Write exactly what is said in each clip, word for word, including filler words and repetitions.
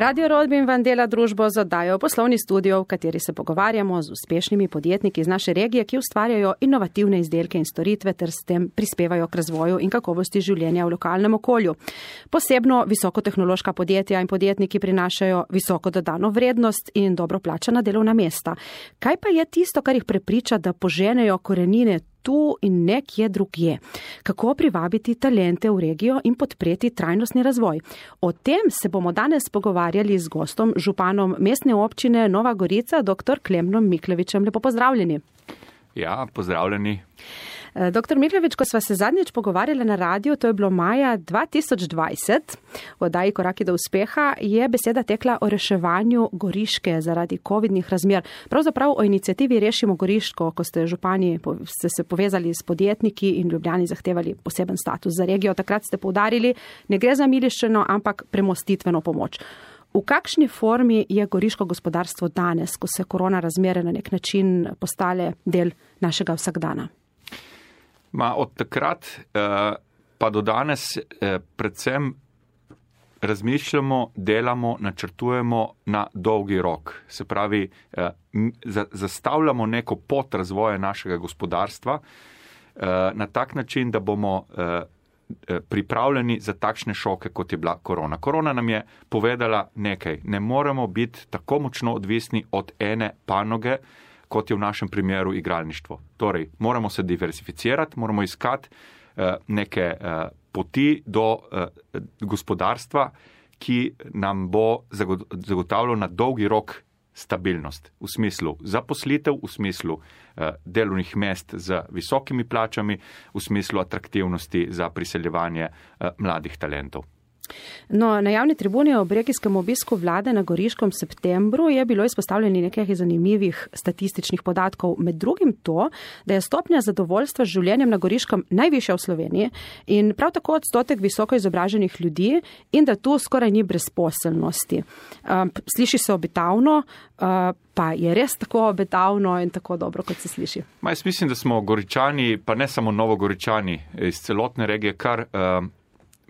Radio Rodbin vam dela družbo z oddajo Poslovni studio, v kateri se pogovarjamo z uspešnimi podjetniki iz naše regije, ki ustvarjajo inovativne izdelke in storitve ter s tem prispevajo k razvoju in kakovosti življenja v lokalnem okolju. Posebno visokotehnološka podjetja in podjetniki prinašajo visoko dodano vrednost in dobro plačana delovna mesta. Kaj pa je tisto, kar jih prepriča, da poženejo korenine tu in nekje drugje? Kako privabiti talente v regijo in podpreti trajnostni razvoj? O tem se bomo danes pogovarjali z gostom, županom mestne občine Nova Gorica, doktor Klemnom Miklevičem. Lepo pozdravljeni. Ja, pozdravljeni. Doktor Miklevič, ko sva se zadnjič pogovarjali na radiju, to je bilo maja dva tisoč dvajset, v oddaji Koraki do uspeha, je beseda tekla o reševanju Goriške zaradi covidnih razmer. Pravzaprav o inicijativi Rešimo Goriško, ko ste župani ste se povezali s podjetniki in Ljubljani zahtevali poseben status za regijo. Takrat ste poudarili, ne gre za miliščeno, ampak premostitveno pomoč. V kakšni formi je goriško gospodarstvo danes, ko se korona razmere na nek način postale del našega vsakdana? Ma od takrat eh, pa do danes eh, predvsem razmišljamo, delamo, načrtujemo na dolgi rok. Se pravi, eh, za, zastavljamo neko pot razvoja našega gospodarstva eh, na tak način, da bomo eh, pripravljeni za takšne šoke, kot je bila korona. Korona nam je povedala nekaj. Ne moremo biti tako močno odvisni od ene panoge, kot je v našem primeru igralništvo. Torej, moramo se diversificirati, moramo iskati uh, neke uh, poti do uh, gospodarstva, ki nam bo zagotavljalo na dolgi rok stabilnost. V smislu zaposlitev, v smislu uh, delovnih mest z visokimi plačami, v smislu atraktivnosti za priseljevanje uh, mladih talentov. No, na javni tribuni ob regijskem obisku vlade na Goriškem septembru je bilo izpostavljeni nekaj zanimivih statističnih podatkov. Med drugim to, da je stopnja zadovoljstva z življenjem na Goriškem najvišja v Sloveniji in prav tako odstotek visoko izobraženih ljudi in da tu skoraj ni brezposelnosti. Sliši se obetavno, pa je res tako obetavno in tako dobro, kot se sliši. Ma, jaz mislim, da smo Goričani, pa ne samo Novogoričani, iz celotne regije, kar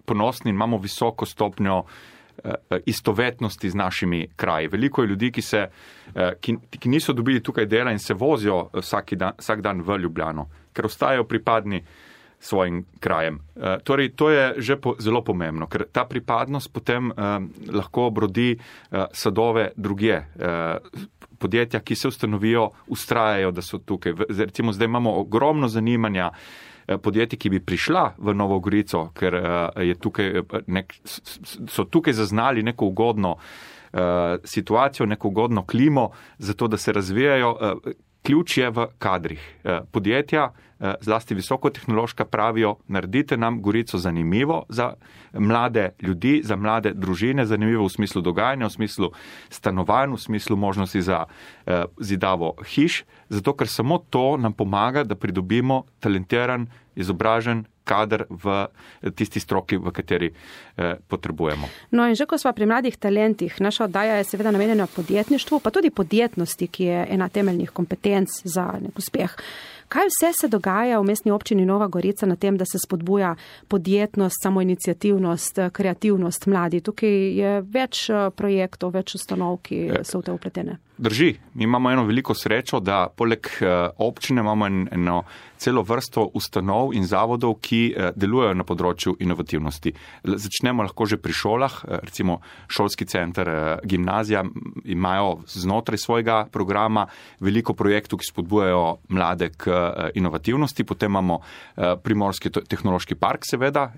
ponosni in imamo visoko stopnjo uh, istovetnosti z našimi kraji. Veliko je ljudi, ki, se, uh, ki, ki niso dobili tukaj dela in se vozijo vsak dan, vsak dan v Ljubljano, ker ostajajo pripadni svojim krajem. Uh, torej, to je že po, zelo pomembno, ker ta pripadnost potem uh, lahko brodi uh, sadove drugje. Uh, podjetja, ki se ustanovijo, ustrajajo, da so tukaj. Recimo, zdaj imamo ogromno zanimanja podjetij, ki bi prišla v Novo Gorico, ker je tukaj nek, so tukaj zaznali neko ugodno uh, situacijo, neko ugodno klimo, zato da se razvijajo. Uh, ključ je v kadrih. Uh, podjetja, uh, zlasti visokotehnološka, pravijo, naredite nam Gorico zanimivo za mlade ljudi, za mlade družine, zanimivo v smislu dogajanja, v smislu stanovanj, v smislu možnosti za uh, zidavo hiš, zato ker samo to nam pomaga, da pridobimo talentiran, izobražen kader v tisti stroki, v kateri eh, potrebujemo. No in že ko sva pri mladih talentih, naša oddaja je seveda namenjena podjetništvu, pa tudi podjetnosti, ki je ena temeljnih kompetenc za nek uspeh. Kaj vse se dogaja v mestni občini Nova Gorica na tem, da se spodbuja podjetnost, samoiniciativnost, kreativnost mladi? Tukaj je več projektov, več ustanov, ki so v te upletene. Drži. Mi imamo eno veliko srečo, da poleg občine imamo eno celo vrsto ustanov in zavodov, ki delujejo na področju inovativnosti. Začnemo lahko že pri šolah, recimo šolski center, gimnazija imajo znotraj svojega programa veliko projektov, ki spodbujajo mlade k inovativnosti. Potem imamo Primorski tehnološki park, seveda,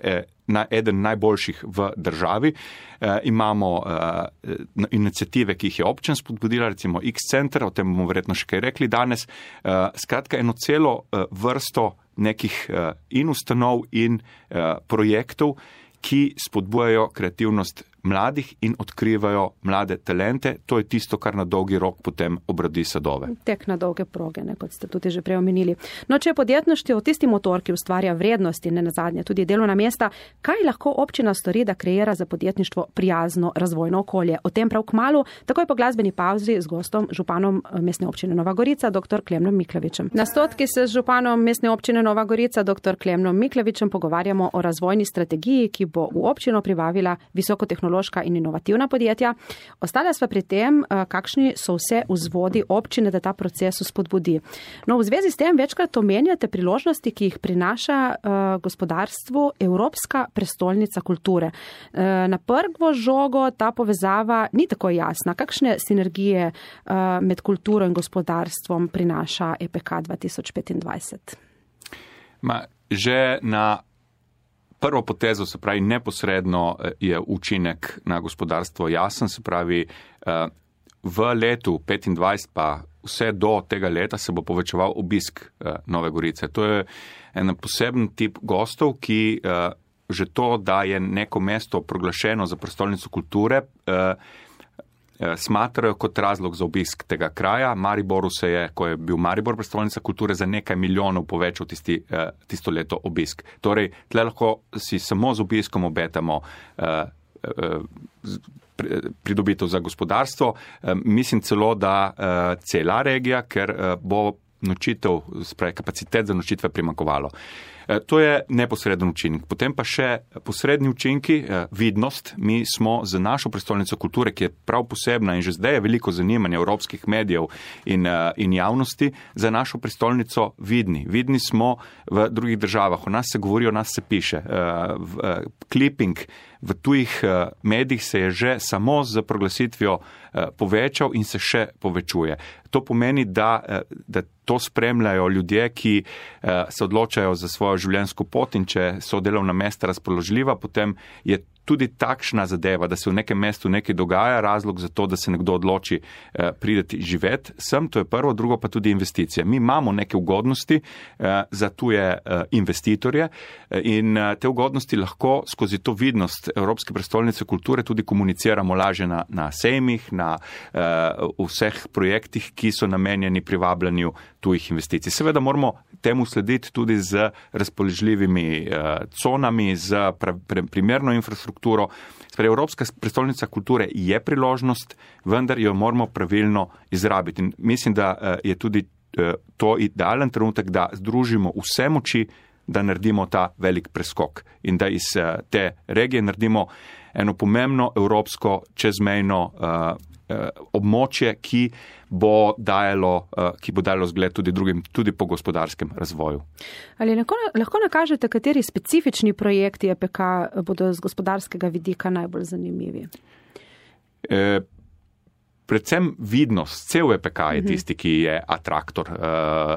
na eden najboljših v državi. E, imamo e, iniciative, ki jih je občina spodbudila, recimo X-center, o tem bomo verjetno še kaj rekli danes. E, skratka, eno celo e, vrsto nekih e, in ustanov in e, projektov, ki spodbujajo kreativnost mladih in odkrivajo mlade talente. To je tisto, kar na dolgi rok potem obrodi sadove. Tek na dolge proge, ne, kot ste tudi že prej omenili. No, če je podjetništvo tisti motor, ki ustvarja vrednosti, ne nazadnje tudi delovna mesta, kaj lahko občina stori, da kreira za podjetništvo prijazno razvojno okolje? O tem prav kmalu, takoj po glasbeni pavzi z gostom, županom mestne občine Nova Gorica, doktor Klemnom Miklevičem. Na stotki se z županom mestne občine Nova Gorica, doktor Klemnom Miklevičem, pogovarjamo o razvojni strategiji, ki bo v občino privabila visokotehnološko tehnološka in inovativna podjetja. Ostala sva pri tem, kakšni so vse vzvodi občine, da ta proces spodbudi. No, v zvezi s tem večkrat omenjate priložnosti, ki jih prinaša gospodarstvu Evropska prestolnica kulture. Na prvo žogo ta povezava ni tako jasna. Kakšne sinergije med kulturo in gospodarstvom prinaša E P K dva tisoč petindvajset? Ma, že na prvo potezo, se pravi, neposredno je učinek na gospodarstvo jasen, se pravi, v letu petindvajset pa vse do tega leta se bo povečeval obisk Nove Gorice. To je en poseben tip gostov, ki že to, da je neko mesto proglašeno za prestolnico kulture, smatrajo kot razlog za obisk tega kraja. Mariboru se je, ko je bil Maribor prestolnica kulture, za nekaj milijonov povečal tisti, tisto leto obisk. Torej, tle lahko si samo z obiskom obetamo pridobitev za gospodarstvo. Mislim celo, da cela regija, ker bo nočitev, spravi, kapacitet za nočitve primanjkovalo. To je neposreden učinek. Potem pa še posredni učinki, vidnost. Mi smo za našo prestolnico kulture, ki je prav posebna in že zdaj je veliko zanimanja evropskih medijev in, in javnosti, za našo prestolnico vidni. Vidni smo v drugih državah. O nas se govori, o nas se piše. Clipping v tujih medijih se je že samo z proglasitvijo povečal in se še povečuje. To pomeni, da, da to spremljajo ljudje, ki se odločajo za svojo življenjsko pot, in če so delovna mesta razpoložljiva, potem je tudi takšna zadeva, da se v nekem mestu nekaj dogaja, razlog za to, da se nekdo odloči eh, prideti živeti sem, to je prvo, drugo pa tudi investicije. Mi imamo neke ugodnosti eh, za tuje eh, investitorje in eh, te ugodnosti lahko skozi to vidnost Evropske prestolnice kulture tudi komuniciramo lažje na, na sejmih, na eh, vseh projektih, ki so namenjeni privabljanju tujih investicij. Seveda moramo temu slediti tudi z razpoložljivimi eh, conami, z pra, pre, primerno infrastrukturo. Sprej, Evropska prestolnica kulture je priložnost, vendar jo moramo pravilno izrabiti. In mislim, da je tudi to idealen trenutek, da združimo vse moči, da naredimo ta velik preskok in da iz te regije naredimo eno pomembno evropsko čezmejno uh, območje, ki bo dajalo, ki bo dajalo zgled tudi drugim, tudi po gospodarskem razvoju. Ali lahko, lahko nakažete, kateri specifični projekti E P K bodo z gospodarskega vidika najbolj zanimivi? E, predvsem vidnost. Cel E P K je tisti, ki je atraktor uh,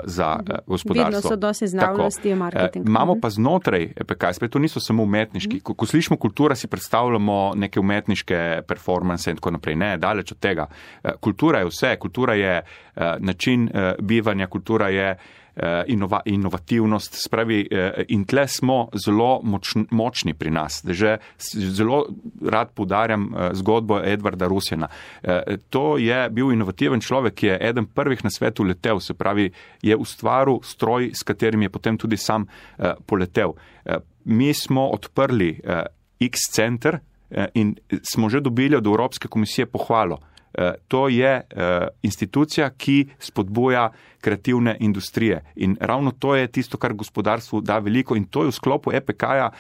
za uh, gospodarstvo. Vidnost, odnos, znavnosti, marketing. Uh, imamo pa znotraj E P K, spet to niso samo umetniški. Ko, ko slišimo kultura, si predstavljamo neke umetniške performance in tako naprej. Ne, daleč od tega. Uh, kultura je vse. Kultura je uh, način uh, bivanja, kultura je Inova, inovativnost, spravi, in tle smo zelo moč, močni pri nas. Že zelo rad poudarjam zgodbo Edvarda Rusjana. To je bil inovativen človek, ki je eden prvih na svetu letel, se pravi, je ustvaril stroj, s katerim je potem tudi sam poletel. Mi smo odprli X-center in smo že dobili od Evropske komisije pohvalo. To je institucija, ki spodbuja kreativne industrije in ravno to je tisto, kar gospodarstvu da veliko in to je v sklopu E P K-ja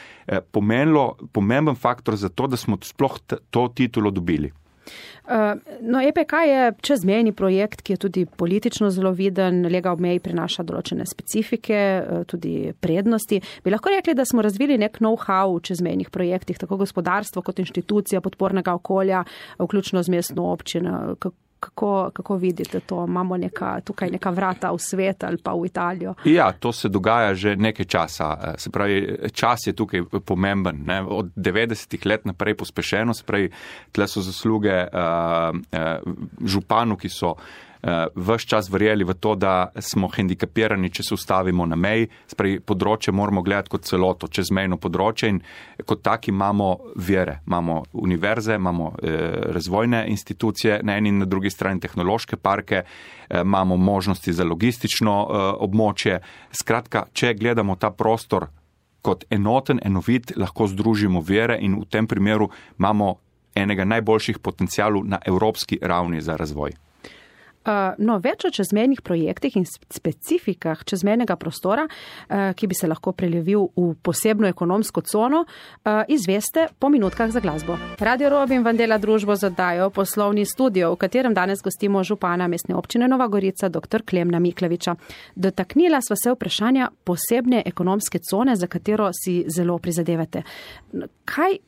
pomenilo pomemben faktor za to, da smo sploh to titulo dobili. No, E P K je čezmejni projekt, ki je tudi politično zelo viden, lega ob meji prinaša določene specifike, tudi prednosti. Bi lahko rekli, da smo razvili nek know-how v čezmejnih projektih, tako gospodarstvo kot inštitucija podpornega okolja, vključno z mestno občino. Kako, kako vidite to? Imamo neka, tukaj neka vrata v svet ali pa v Italijo? Ja, to se dogaja že nekaj časa. Se pravi, čas je tukaj pomemben. Ne? Od devetdesetih let naprej pospešeno, se pravi, tle so zasluge uh, uh, županu, ki so ves čas verjeli v to, da smo hendikapirani, če se ustavimo na meji. Spravi, področje moramo gledati kot celoto, čezmejno področje in kot taki imamo vire. Imamo univerze, imamo eh, razvojne institucije, na eni in na drugi strani tehnološke parke, eh, imamo možnosti za logistično eh, območje. Skratka, če gledamo ta prostor kot enoten, enovit, lahko združimo vire in v tem primeru imamo enega najboljših potencialov na evropski ravni za razvoj. No, več o čezmejnih projektih in specifikah čezmejnega prostora, ki bi se lahko prelevil v posebno ekonomsko cono, izveste po minutkah za glasbo. Radio Robin vam dela družbo z oddajo Poslovni studio, v katerem danes gostimo župana Mestne občine Nova Gorica, dr. Klemna Mikleviča. Dotaknila sva se vprašanja posebne ekonomske cone, za katero si zelo prizadevate. Kaj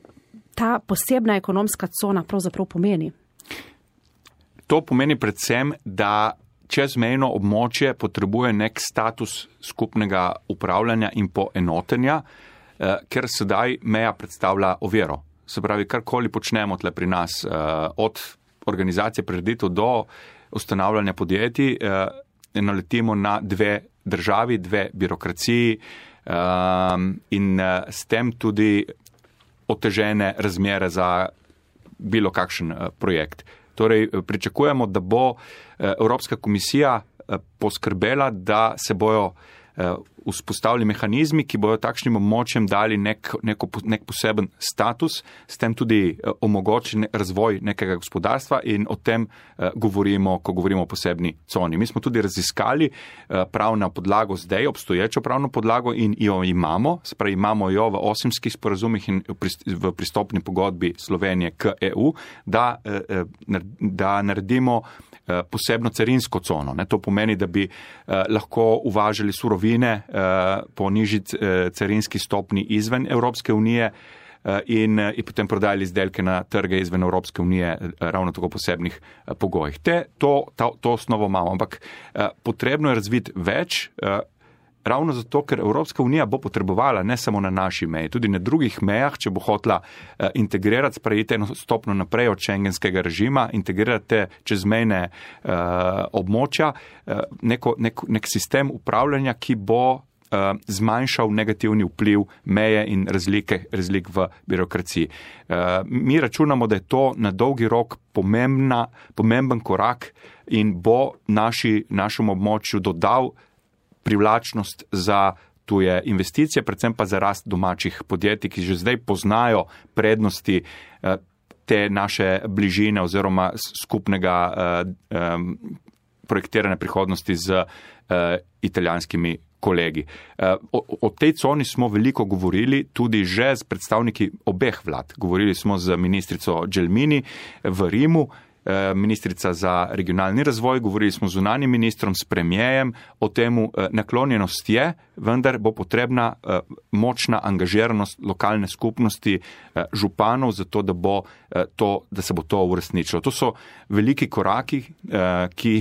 ta posebna ekonomska cona pravzaprav pomeni? To pomeni predvsem, da čezmejno območje potrebuje nek status skupnega upravljanja in poenotenja, ker sedaj meja predstavlja oviro. Se pravi, karkoli počnemo tle pri nas, od organizacije prireditev do ustanavljanja podjetij, naletimo na dve državi, dve birokraciji in s tem tudi otežene razmere za bilo kakšen projekt. Torej, pričakujemo, da bo Evropska komisija poskrbela, da se bojo vzpostavili mehanizmi, ki bojo takšnim območjem dali nek, neko, nek poseben status, s tem tudi omogočen razvoj nekega gospodarstva in o tem govorimo, ko govorimo o posebni coni. Mi smo tudi raziskali pravno podlago zdaj, obstoječo pravno podlago in jo imamo, se pravi, imamo jo v osimskih sporazumih in v pristopni pogodbi Slovenije k E U, da, da naredimo posebno carinsko cono. Ne? To pomeni, da bi eh, lahko uvažali surovine eh, po nižji eh, carinski stopni izven Evropske unije eh, in, in potem prodajali izdelke na trge izven Evropske unije eh, ravno tako posebnih eh, pogojih. Te, to, ta, to osnovo imamo, ampak eh, potrebno je razviti več, eh, ravno zato, ker Evropska unija bo potrebovala ne samo na naši meji, tudi na drugih mejah, če bo hotela uh, integrirati, sprejeti eno stopno naprej od šengenskega režima, integrirati čezmejne uh, območja, uh, neko, nek, nek sistem upravljanja, ki bo uh, zmanjšal negativni vpliv meje in razlike, razlik v birokraciji. Uh, mi računamo, da je to na dolgi rok pomembna, pomemben korak in bo naši, našemu območju dodal privlačnost za tuje investicije, predvsem pa za rast domačih podjetij, ki že zdaj poznajo prednosti te naše bližine oziroma skupnega um, projektiranja prihodnosti z uh, italijanskimi kolegi. O, o tej coni smo veliko govorili tudi že s predstavniki obeh vlad. Govorili smo z ministrico Gelmini v Rimu, ministrica za regionalni razvoj, govorili smo z zunanjim ministrom, s premijejem, o temu naklonjenost je, vendar bo potrebna močna angažiranost lokalne skupnosti županov, zato da, bo to, da se bo to uresničilo. To so veliki koraki, ki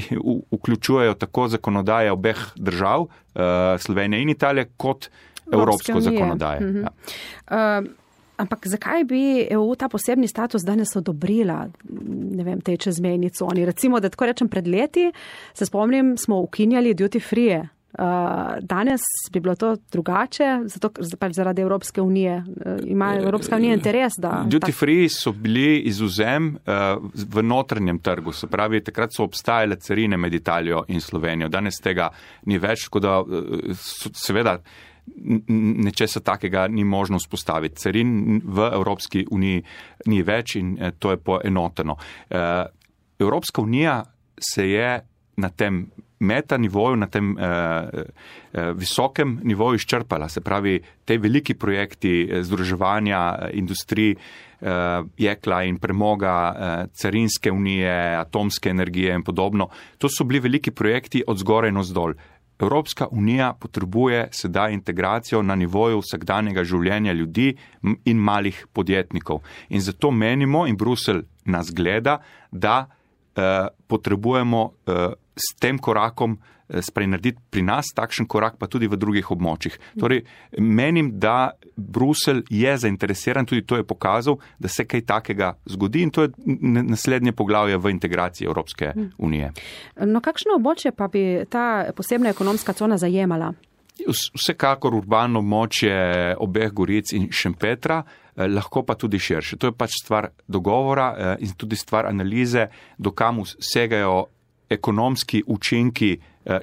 vključujejo tako zakonodaje obeh držav, Slovenije in Italije, kot evropsko zakonodaje. Mhm. Ja. Uh, Ampak zakaj bi E U ta posebni status danes odobrila, ne vem, tej čezmejni coni? Recimo, da tako rečem pred leti, se spomnim, smo ukinjali duty free. Uh, danes bi bilo to drugače, zato pač zaradi Evropske unije. Uh, ima Evropska unija interes, da... Duty free so bili izvzem uh, v notranjem trgu, se pravi, takrat so obstajale carine med Italijo in Slovenijo. Danes tega ni več, tako da uh, seveda nečesa takega ni možno vzpostaviti. Carin v Evropski uniji ni več in to je poenoteno. Evropska unija se je na tem meta nivoju, na tem eh, visokem nivoju izčrpala. Se pravi, te veliki projekti združevanja industrij, eh, jekla in premoga, eh, carinske unije, atomske energije in podobno, to so bili veliki projekti od zgoraj navzdol. Evropska unija potrebuje sedaj integracijo na nivoju vsakdanjega življenja ljudi in malih podjetnikov. In zato menimo, in Bruselj nas gleda, da eh, potrebujemo eh, s tem korakom eh, narediti pri nas takšen korak, pa tudi v drugih območjih. Torej, menim, da Bruselj je zainteresiran, tudi to je pokazal, da se kaj takega zgodi in to je naslednje poglavje v integraciji Evropske unije. No, kakšno območje pa bi ta posebna ekonomska cona zajemala? Vsekakor urbano območje obeh Goric in Šempetra, lahko pa tudi širše. To je pač stvar dogovora in tudi stvar analize, do kam segajo ekonomski učinki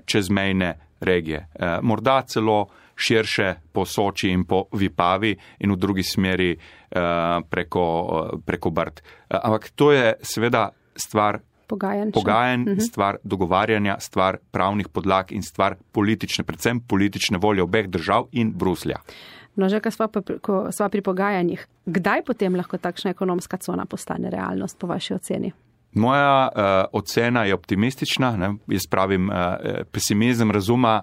čezmejne regije. Morda celo širše po Soči in po Vipavi in v drugi smeri preko, preko Brd. Ampak to je seveda stvar pogajanj, pogajanj stvar dogovarjanja, stvar pravnih podlag in stvar politične, predvsem politične volje obeh držav in Bruslja. No, že ko sva, ko sva pri pogajanjih, kdaj potem lahko takšna ekonomska cona postane realnost po vaši oceni? Moja uh, ocena je optimistična, ne? Jaz pravim, uh, pesimizem razuma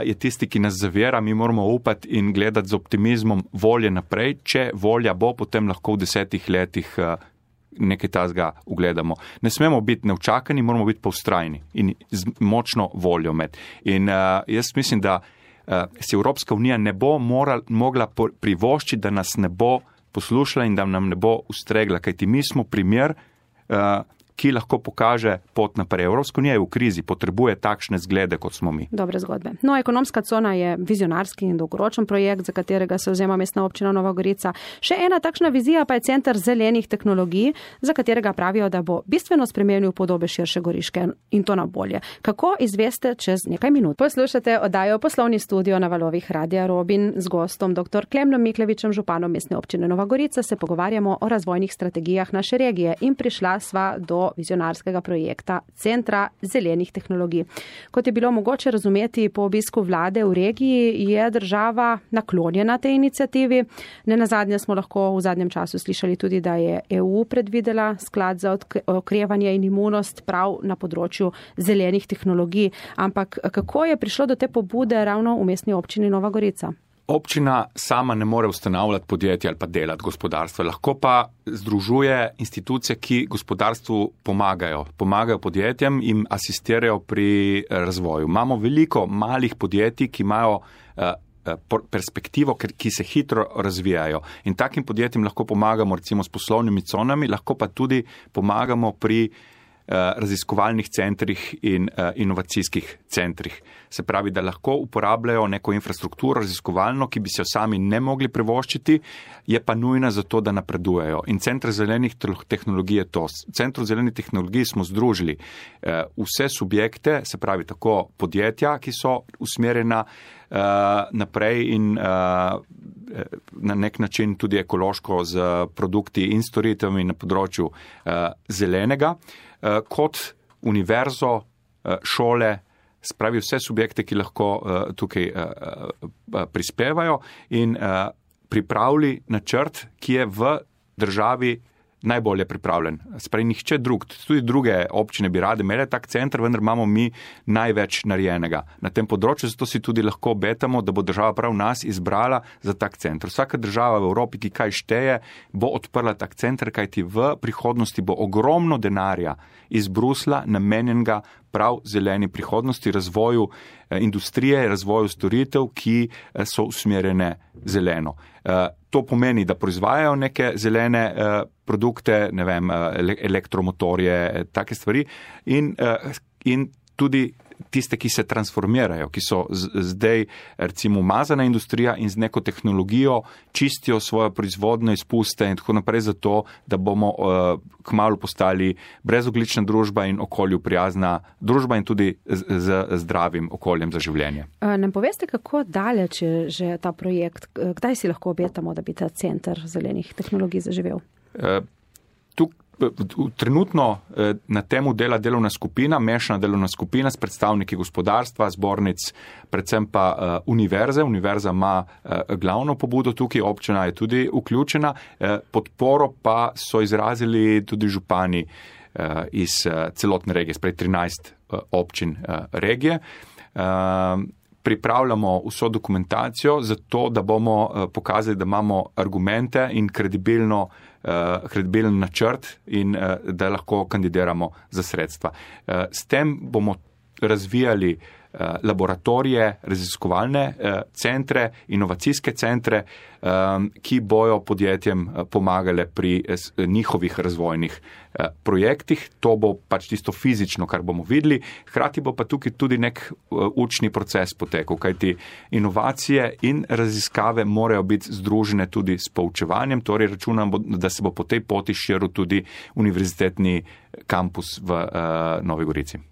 je tisti, ki nas zavira, mi moramo upati in gledati z optimizmom volje naprej. Če volja bo, potem lahko v desetih letih nekaj tazga ugledamo. Ne smemo biti neučakani, moramo biti pa vztrajni in z močno voljo med. In uh, jaz mislim, da uh, se Evropska unija ne bo moral, mogla privoščiti, da nas ne bo poslušala in da nam ne bo ustregla, kajti mi smo primer, uh, ki lahko pokaže pot naprej. Evropska unija je v krizi, potrebuje takšne zglede, kot smo mi. Dobre zgodbe. No, ekonomska cona je vizionarski in dolgoročen projekt, za katerega se vzema Mestna občina Nova Gorica. Še ena takšna vizija pa je Center zelenih tehnologij, za katerega pravijo, da bo bistveno spremenil podobe širše Goriške in to na bolje. Kako izveste čez nekaj minut? Poslušate oddajo Poslovni studio na valovih Radia Robin z gostom dr. Klemnom Miklevičem, županom Mestne občine Nova Gorica. Se pogovarjamo o razvojnih strategijah naše regije in prišla sva do vizionarskega projekta Centra zelenih tehnologij. Kot je bilo mogoče razumeti po obisku vlade v regiji, je država naklonjena tej inicijativi. Nenazadnje smo lahko v zadnjem času slišali tudi, da je E U predvidela sklad za okrevanje in imunost prav na področju zelenih tehnologij. Ampak kako je prišlo do te pobude ravno v Mestni občini Nova Gorica? Občina sama ne more ustanavljati podjetja ali pa delati gospodarstva, lahko pa združuje institucije, ki gospodarstvu pomagajo. Pomagajo podjetjem in asistirajo pri razvoju. Imamo veliko malih podjetij, ki imajo uh, perspektivo, ki se hitro razvijajo. In takim podjetjem lahko pomagamo recimo s poslovnimi conami, lahko pa tudi pomagamo pri raziskovalnih centrih in uh, inovacijskih centrih. Se pravi, da lahko uporabljajo neko infrastrukturo raziskovalno, ki bi se jo sami ne mogli privoščiti, je pa nujna za to, da napredujejo. In Center zelenih tehnologij je to. V Centru zelenih tehnologij smo združili uh, vse subjekte, se pravi tako podjetja, ki so usmerjena uh, naprej in uh, na nek način tudi ekološko z produkti in storitvami na področju uh, zelenega, kot univerzo, šole, spravi vse subjekte, ki lahko tukaj prispevajo in pripravili načrt, ki je v državi najbolje pripravljen. Spravi nihče drug, tudi druge občine bi rade imele tak center, vendar imamo mi največ narejenega na tem področju, zato si tudi lahko obetamo, da bo država prav nas izbrala za tak center. Vsaka država v Evropi, ki kaj šteje, bo odprla tak center, kajti v prihodnosti bo ogromno denarja iz Brusla namenjenega prav zeleni prihodnosti, razvoju industrije, razvoju storitev, ki so usmerjene zeleno. To pomeni, da proizvajajo neke zelene produkte, ne vem, elektromotorje, take stvari in, in tudi tiste, ki se transformirajo, ki so zdaj recimo umazana industrija in z neko tehnologijo čistijo svojo proizvodno izpuste in tako naprej zato, da bomo uh, kmalu postali brezoglična družba in okolju prijazna družba in tudi z, z zdravim okoljem za življenje. Nam poveste, kako daleč je že ta projekt? Kdaj si lahko obetamo, da bi ta Center zelenih tehnologij zaživel? Uh, tu Trenutno na temu dela delovna skupina, mešana delovna skupina s predstavniki gospodarstva, zbornic, predvsem pa uh, univerze. Univerza ima uh, glavno pobudo tukaj, občina je tudi vključena. Uh, podporo pa so izrazili tudi župani uh, iz uh, celotne regije, sprej trinajst uh, občin uh, regije. Uh, Pripravljamo vso dokumentacijo za to, da bomo uh, pokazali, da imamo argumente in kredibilno uh, kredibilen načrt in uh, da lahko kandidiramo za sredstva. Uh, s tem bomo razvijali uh, laboratorije, raziskovalne uh, centre, inovacijske centre, um, ki bojo podjetjem uh, pomagale pri uh, njihovih razvojnih uh, projektih. To bo pač tisto fizično, kar bomo videli. Hkrati bo pa tukaj tudi nek uh, učni proces potekal, kajti inovacije in raziskave morajo biti združene tudi s poučevanjem, torej računam, da se bo po tej poti širil tudi univerzitetni kampus v uh, Novi Gorici.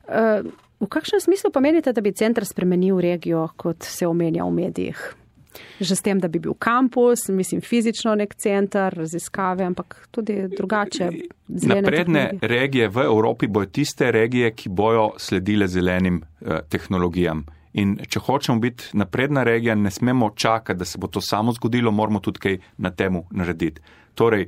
Uh... V kakšnem smislu pa menite, da bi center spremenil regijo, kot se omenja v medijih? Že s tem, da bi bil kampus, mislim fizično nek center, raziskave, ampak tudi drugače. Napredne regije v Evropi bojo tiste regije, ki bojo sledile zelenim eh, tehnologijam. In če hočemo biti napredna regija, ne smemo čakati, da se bo to samo zgodilo, moramo tudi kaj na temu narediti. Torej,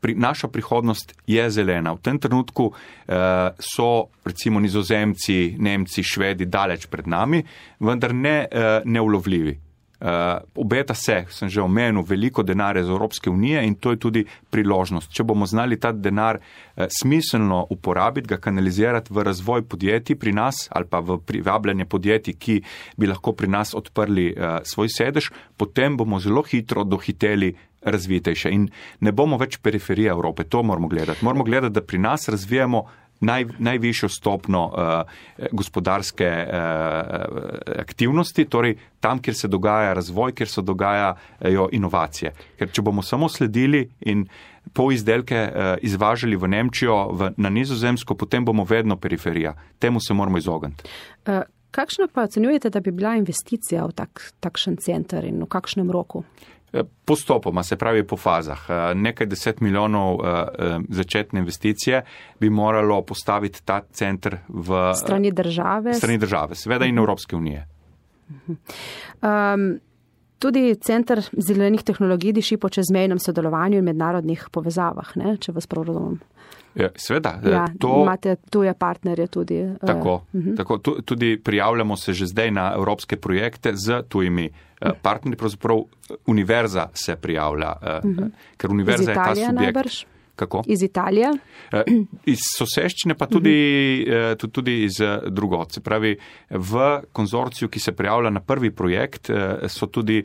pri, naša prihodnost je zelena. V tem trenutku eh, so recimo Nizozemci, Nemci, Švedi daleč pred nami, vendar ne eh, neulovljivi. Uh, obeta se, sem že omenil, veliko denarja iz Evropske unije in to je tudi priložnost. Če bomo znali ta denar uh, smiselno uporabiti, ga kanalizirati v razvoj podjetij pri nas ali pa v privabljanje podjetij, ki bi lahko pri nas odprli uh, svoj sedež, potem bomo zelo hitro dohiteli razvitejše in ne bomo več periferija Evrope. To moramo gledati. Moramo gledati, da pri nas razvijamo Naj, najvišjo stopno uh, gospodarske uh, aktivnosti, torej tam, kjer se dogaja razvoj, kjer se dogajajo inovacije. Ker če bomo samo sledili in pol izdelke uh, izvažali v Nemčijo, v, na Nizozemsko, potem bomo vedno periferija. Temu se moramo izogniti. Uh, kakšno pa ocenjujete, da bi bila investicija v tak, takšen center in v kakšnem roku? Postopoma, se pravi po fazah. Nekaj deset milijonov začetne investicije bi moralo postaviti ta center v strani države, strani države seveda in Evropske unije. Um, tudi center zelenih tehnologij diši po čezmejnem sodelovanju in mednarodnih povezavah, ne, če vas prav razumem. Seveda. Ja, to, imate tuje partnerje tudi. Tako, uh, tako tudi prijavljamo se že zdaj na evropske projekte z tujimi uh, partnerji, pravzaprav univerza se prijavlja, uh, uh, ker univerza je ta subjekt. Najbrž? Kako? Iz Italije? Uh, iz soseščine, pa tudi, uh, tudi, tudi iz uh, drugot. Se pravi, v konzorciju, ki se prijavlja na prvi projekt, uh, so tudi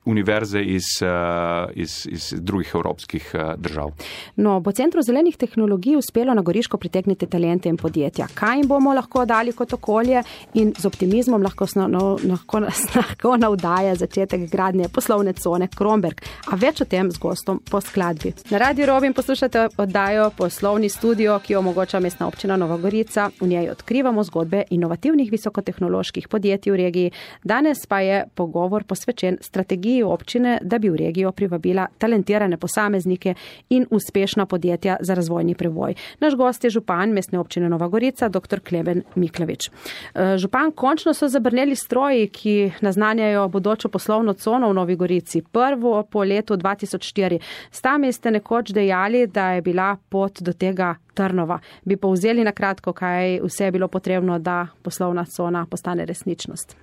univerze iz, iz, iz drugih evropskih držav. No, bo Centru zelenih tehnologij uspelo na Goriško pritegniti talente in podjetja. Kaj jim bomo lahko dali kot okolje in z optimizmom lahko, no, lahko, lahko navdaja začetek gradnje poslovne cone Kromberk. A več o tem z gostom po skladbi. Na Radiu Robin poslušate oddajo Poslovni studio, ki omogoča Mestna občina Nova Gorica. V njej odkrivamo zgodbe inovativnih visokotehnoloških podjetij v regiji. Danes pa je pogovor posvečen strategiji občine, da bi v regijo privabila talentirane posameznike in uspešna podjetja za razvojni prevoj. Naš gost je župan Mestne občine Nova Gorica, doktor Klemen Miklavič. Župan, končno so zabrneli stroji, ki naznanjajo bodočo poslovno cono v Novi Gorici. Prvo po letu dva tisoč štiri. S tami ste nekoč dejali, da je bila pot do tega trnova. Bi povzeli na kratko, kaj vse je bilo potrebno, da poslovna cona postane resničnost?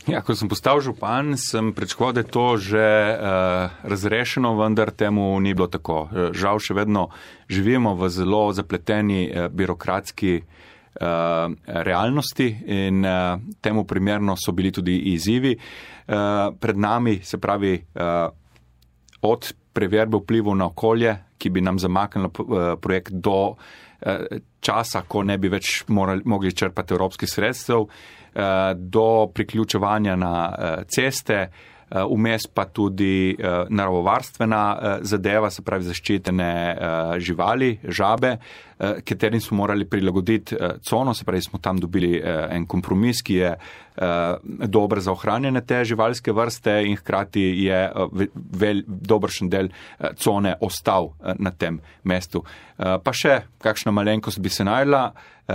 Ja, ko sem postal župan, sem pričakoval, da je to že uh, razrešeno, vendar temu ni bilo tako. Žal še vedno živimo v zelo zapleteni uh, birokratski uh, realnosti in uh, temu primerno so bili tudi izzivi. Uh, pred nami, se pravi, uh, od preverbe vplivov na okolje, ki bi nam zamaknilo uh, projekt do uh, časa, ko ne bi več morali, mogli črpati evropskih sredstev, do priključevanja na ceste, vmes pa tudi naravovarstvena zadeva, se pravi zaščitene živali, žabe, katerim smo morali prilagoditi cono, se pravi smo tam dobili en kompromis, ki je dober za ohranjene te živalske vrste in hkrati je vel, dobršen del cone ostal na tem mestu. Pa še kakšna malenkost bi se najdla, Uh,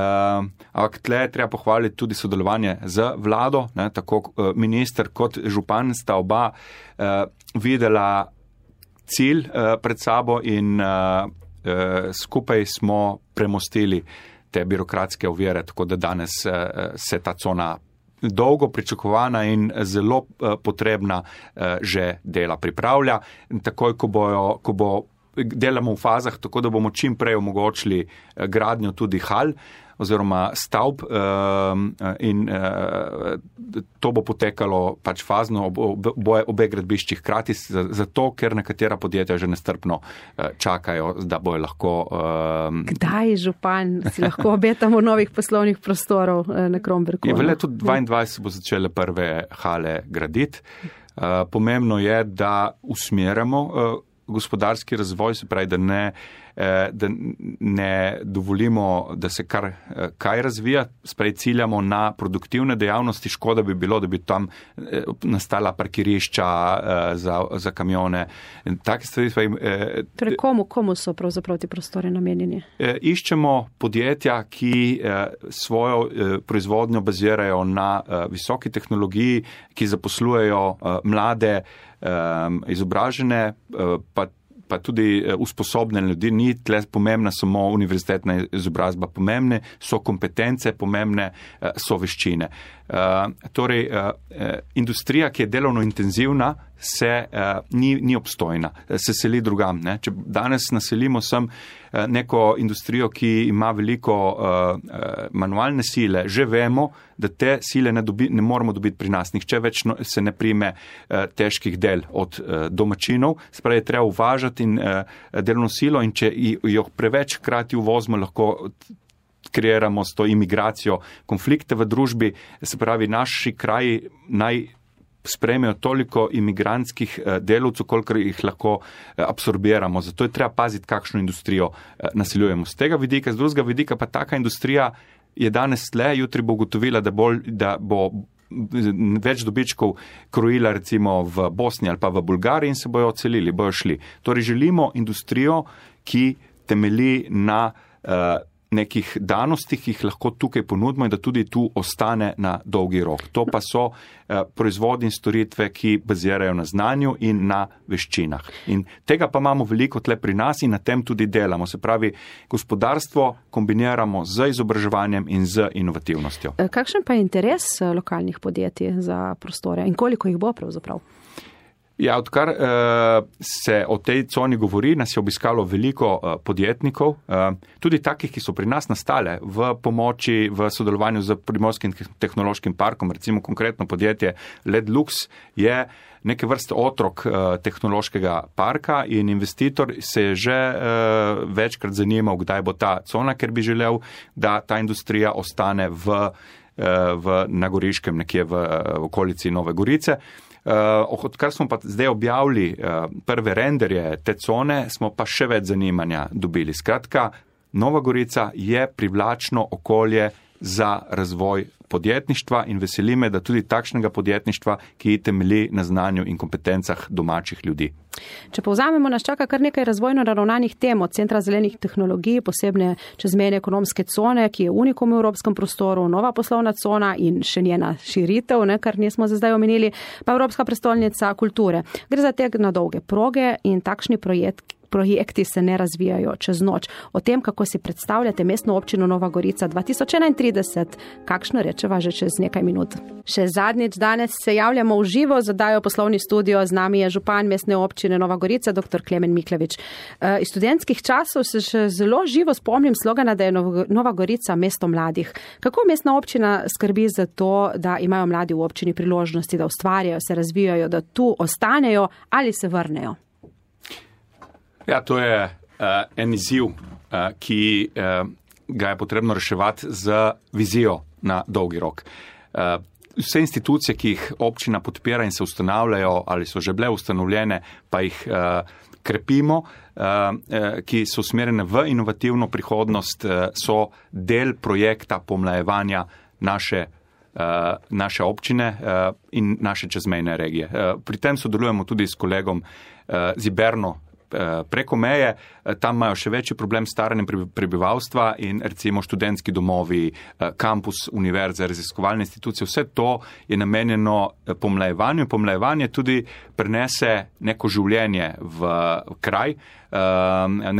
ampak tle treba pohvaliti tudi sodelovanje z vlado, ne, tako uh, minister kot župan sta oba uh, videla cilj uh, pred sabo in uh, uh, skupaj smo premostili te birokratske ovire, tako da danes uh, se ta cona dolgo pričakovana in zelo uh, potrebna uh, že dela pripravlja. In takoj, ko, bojo, ko bo delamo v fazah, tako da bomo čim prej omogočili uh, gradnjo tudi hal, oziroma stavb in to bo potekalo pač fazno obe, obe gradbišči hkrati, zato ker nekatera podjetja že nestrpno čakajo, da bojo lahko... Kdaj, župan, si lahko obetamo novih poslovnih prostorov na Kromberku? V letu dvaindvajset bo začele prve hale graditi. Pomembno je, da usmerjamo gospodarski razvoj, se pravi, da ne da ne dovolimo, da se kar kaj razvija, sprej ciljamo na produktivne dejavnosti, škoda bi bilo, da bi tam nastala parkirišča za, za kamione. Take stvari. Torej, komu, komu so pravzaprav ti prostori namenjeni? Iščemo podjetja, ki svojo proizvodnjo bazirajo na visoki tehnologiji, ki zaposlujejo mlade, izobražene, pa pa tudi usposobljene ljudi. Ni tle pomembna samo univerzitetna izobrazba, pomembne so kompetence, pomembne so veščine. Torej, industrija, ki je delovno intenzivna, se ni, ni obstojna, se seli drugam. Ne? Če danes naselimo sem neko industrijo, ki ima veliko manualne sile, že vemo, da te sile ne, dobi, ne moramo dobiti pri nas. Nihče več se ne prime težkih del od domačinov, spravi je treba uvažati in delovno silo, in če jo preveč hkrati uvozimo, lahko kreiramo s to imigracijo konflikte v družbi, se pravi, naši kraji naj sprejmejo toliko imigrantskih delavcev, kolikor jih lahko absorbiramo. Zato je treba paziti, kakšno industrijo naseljujemo. Z tega vidika, z drugega vidika pa taka industrija je danes tle, jutri bo ugotovila, da, bolj, da bo več dobičkov krojila recimo v Bosni ali pa v Bolgariji in se bojo odselili, bojo šli. Torej želimo industrijo, ki temelji na uh, nekih danostih, ki jih lahko tukaj ponudimo in da tudi tu ostane na dolgi rok. To pa so eh, proizvodi in storitve, ki bazirajo na znanju in na veščinah. In tega pa imamo veliko tle pri nas in na tem tudi delamo. Se pravi, gospodarstvo kombiniramo z izobraževanjem in z inovativnostjo. Kakšen pa je interes lokalnih podjetij za prostore in koliko jih bo pravzaprav? Ja, odkar uh, se o tej coni govori, nas je obiskalo veliko uh, podjetnikov, uh, tudi takih, ki so pri nas nastale v pomoči, v sodelovanju z Primorskim tehnološkim parkom, recimo konkretno podjetje Ledlux je neke vrste otrok uh, tehnološkega parka in investitor se je že uh, večkrat zanimal, kdaj bo ta cona, ker bi želel, da ta industrija ostane v, uh, v Nagoriškem, nekje v, v okolici Nove Gorice. Uh, odkar smo pa zdaj objavili uh, prve renderje te cone, smo pa še več zanimanja dobili. Skratka, Nova Gorica je privlačno okolje za razvoj podjetništva in veseli me, da tudi takšnega podjetništva, ki temelji na znanju in kompetencah domačih ljudi. Če povzamemo, nas čaka kar nekaj razvojno naravnanih tem, od Centra zelenih tehnologij, posebne čezmejne ekonomske cone, ki je unikum v evropskem prostoru, nova poslovna cona in še njena širitev, ne, kar nismo za zdaj omenili, pa Evropska prestolnica kulture. Gre za tek na dolge proge in takšni projekt, projekti se ne razvijajo čez noč. O tem, kako si predstavljate mestno občino Nova Gorica dva tisoč enaintrideset, kakšno rečeva že čez nekaj minut. Še zadnjič danes se javljamo v živo, zadajo poslovni studio, z nami je župan mestne občine Nova Gorica, dr. Klemen Miklevič. Iz študentskih časov se še zelo živo spomnim slogana, da je Nova Gorica mesto mladih. Kako mestna občina skrbi za to, da imajo mladi v občini priložnosti, da ustvarjajo, se razvijajo, da tu ostanejo ali se vrnejo? Ja, to je uh, en izziv, uh, ki uh, ga je potrebno reševati z vizijo na dolgi rok. Uh, vse institucije, ki jih občina podpira in se ustanavljajo ali so že bile ustanovljene, pa jih uh, krepimo, uh, uh, ki so usmerjene v inovativno prihodnost, uh, so del projekta pomlajevanja naše Uh, naše občine uh, in naše čezmejne regije. Uh, pri tem sodelujemo tudi s kolegom uh, Ziberno preko meje, tam imajo še večji problem s staranjem prebivalstva in recimo študentski domovi, kampus, univerze, raziskovalne institucije, vse to je namenjeno pomlajevanju in pomlajevanje tudi prenese neko življenje v kraj,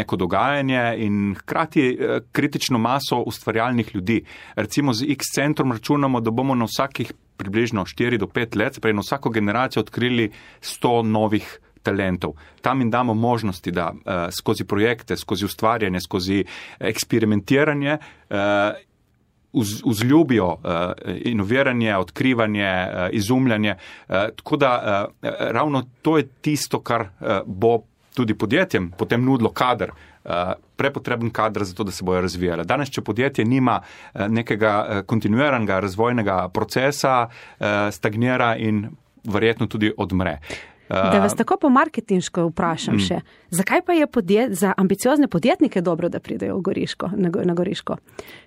neko dogajanje in hkrati kritično maso ustvarjalnih ljudi. Recimo z X centrom računamo, da bomo na vsakih približno štiri do pet let, prej na vsako generacijo odkrili sto novih talentov. Tam jim damo možnosti, da uh, skozi projekte, skozi ustvarjanje, skozi eksperimentiranje uh, uz, vzljubijo uh, inoviranje, odkrivanje, uh, izumljanje. Uh, tako da uh, ravno to je tisto, kar uh, bo tudi podjetjem potem nudilo kader, uh, prepotreben kader za to, da se bojo razvijale. Danes, če podjetje nima uh, nekega uh, kontinuiranega razvojnega procesa, uh, stagnira in verjetno tudi odmre. Da vas tako po marketinško vprašam še, mm. zakaj pa je podjet, za ambiciozne podjetnike dobro, da pridejo v Goriško, na, na Goriško?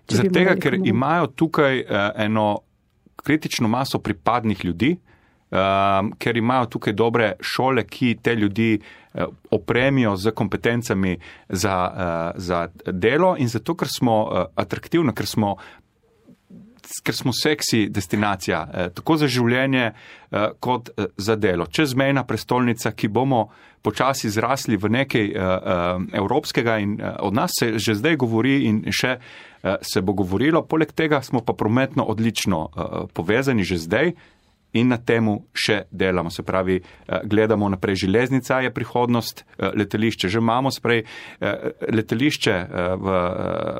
Zaradi tega, ker komu... imajo tukaj uh, eno kritično maso pripadnih ljudi, uh, ker imajo tukaj dobre šole, ki te ljudi uh, opremijo z kompetencami za, uh, za delo in zato, ker smo uh, atraktivni, ker smo ker smo seksi destinacija, eh, tako za življenje eh, kot eh, za delo. Čezmejna prestolnica, ki bomo počasi zrasli v nekaj eh, eh, evropskega in eh, od nas se že zdaj govori in še eh, se bo govorilo. Poleg tega smo pa prometno odlično eh, povezani že zdaj in na temu še delamo. Se pravi, eh, gledamo naprej. Železnica je prihodnost, eh, letališče že imamo, se pravi, eh, letališče eh, v,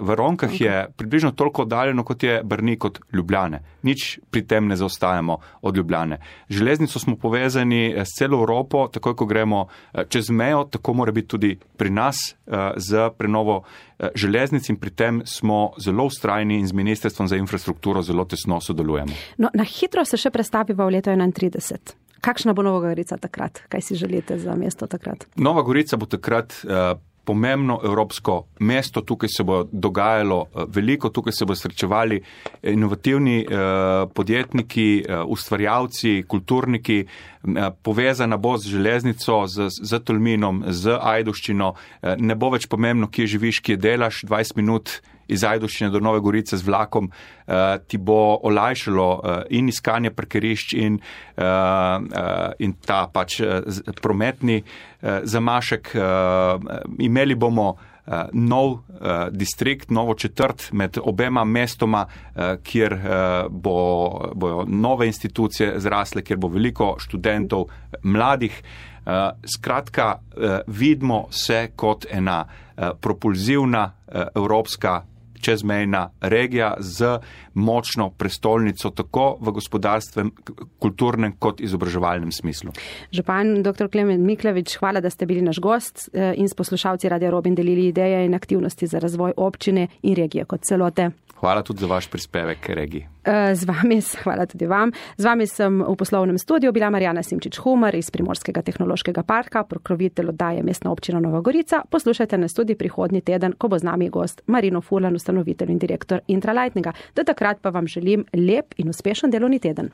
v Ronkah okay. je približno toliko oddaljeno, kot je Brnik od Ljubljane. Nič pri tem ne zaostajamo od Ljubljane. Železnico smo povezani s celo Evropo, takoj ko gremo eh, čez mejo, tako mora biti tudi pri nas eh, z prenovo eh, železnic in pri tem smo zelo ustrajni in z Ministrstvom za infrastrukturo zelo tesno sodelujemo. No, na hitro se še predstaviva v leto enaintrideset. Kakšna bo Nova Gorica takrat? Kaj si želite za mesto takrat? Nova Gorica bo takrat uh, pomembno evropsko mesto. Tukaj se bo dogajalo uh, veliko, tukaj se bo srečevali inovativni uh, podjetniki, uh, ustvarjalci, kulturniki. Uh, povezana bo z železnico, z, z Tolminom, z Ajdovščino. Uh, ne bo več pomembno, kje živiš, kje delaš, dvajset minut iz Ajdovščine do Nove Gorice z vlakom uh, ti bo olajšalo uh, in iskanje parkirišč in, uh, uh, in ta pač uh, prometni uh, zamašek. Uh, imeli bomo uh, nov uh, distrikt, novo četrt med obema mestoma, uh, kjer uh, bo, bojo nove institucije zrasle, kjer bo veliko študentov, mladih. Uh, skratka, uh, vidimo se kot ena uh, propulzivna uh, evropska čezmejna regija z močno prestolnico tako v gospodarstvem, kulturnem kot izobraževalnem smislu. Župan dr. Klemen Miklevič, hvala, da ste bili naš gost in s poslušalci Radia Robin delili ideje in aktivnosti za razvoj občine in regije kot celote. Hvala tudi za vaš prispevek regiji. Z vami, hvala tudi vam. Z vami sem v poslovnem studiu bila Marjana Simčič-Humar iz Primorskega tehnološkega parka, pokrovitelj oddaje Mestna občina Nova Gorica. Poslušajte nas tudi prihodnji teden, ko bo z nami gost Marino Furlan, ustanovitelj in direktor Intralightinga. Do takrat pa vam želim lep in uspešen delovni teden.